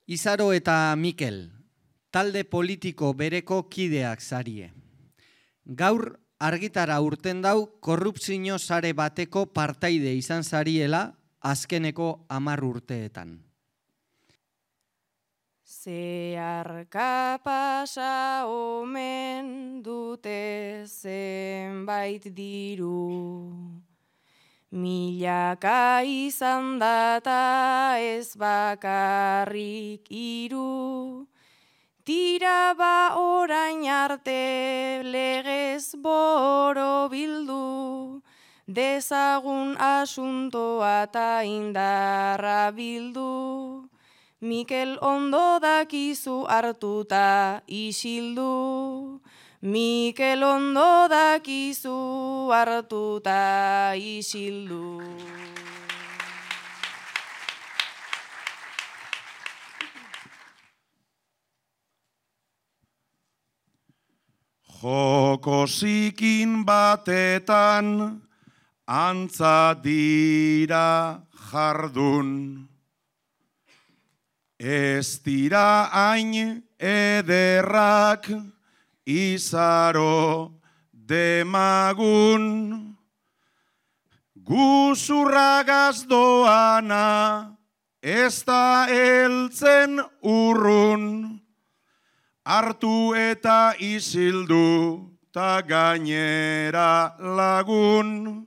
Izaro eta Mikel, talde politiko bereko kideak zarie. Gaur argitara urten dau korrupzio sare bateko partaide izan zariela azkeneko 10 urteetan. Zeharka pasa omen dute zenbait diru, milaka izan data ez bakarrik 3, tira ba orain arte legez borobildu, dezagun asuntoa ta indarra bildu. Mikel ondo dakizu hartuta isildu, Mikel ondo dakizu hartuta isildu. Joko zikin batetan antza dira jardun. Ez dira hain ederrak Izaro demagun, guzurragaz doana ez da heltzen urrun, hartu eta isildu ta gainera lagun,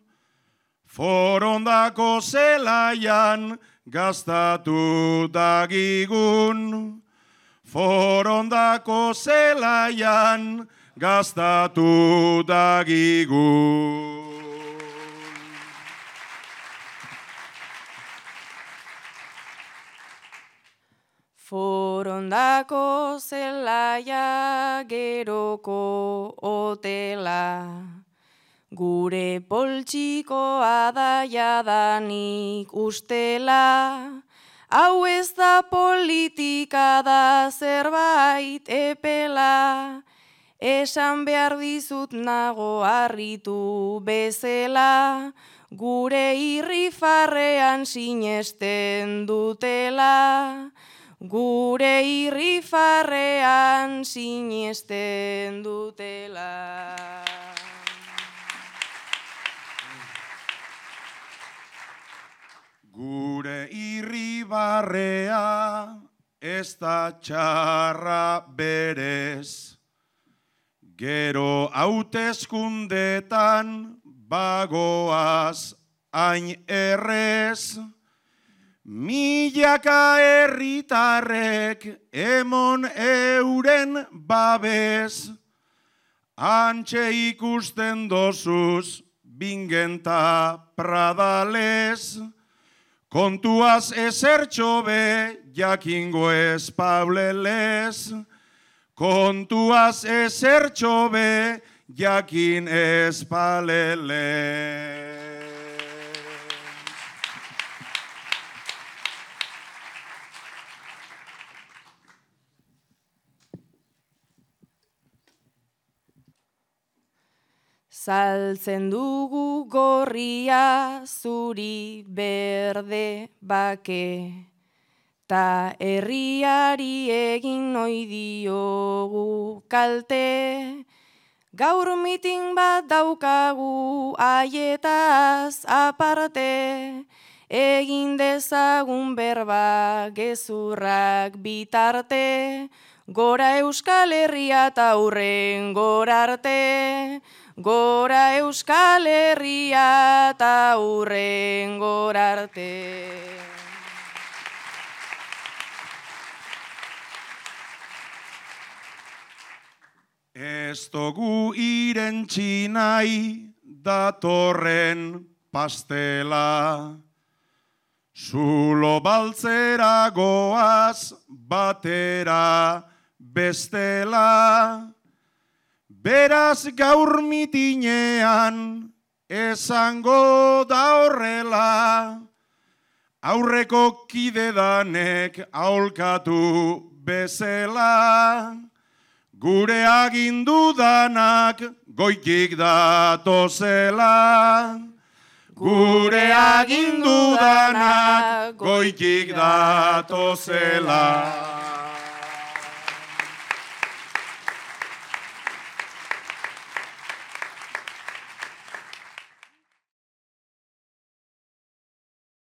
forondako zelaian gastatu dagigun, forondako zelaian gastatu dagigun. Forondako zelaia geroko hotela, gure poltsikoa da jadanik ustela, hau ez da politika da zerbait epela, esan behar dizut nago harritu bezela, gure irrifarrean sinesten dutela, gure irrifarrean sinesten dutela. Gure irribarrea ez da txarra berez, gero hauteskundetan bagoaz hain errez, milaka herritarrek emon euren babes, antxe ikusten dozuz bingenta pradales, kontuaz ezertxo be jakingo ez pauleles, kontuaz ezertxo be jakin ez pauleles. Saltzen dugu gorria zuri berde bake, ta herriari egin ohi diogu kalte, gaur mitin bat daukagu haietaz aparte, egin dezagun berba gezurrak bitarte, gora Euskal Herria ta hurrengora arte, gora Euskal Herria ta hurrengora arte. Ez dugu irentsi nahi datorren pastela, zulo baltzera goaz batera bestela, beraz gaur mitinean esango da horrela, aurreko kidedanek aholkatu bezela, gure agindu danak goitik datozela, gure agindu danak goitik datozela.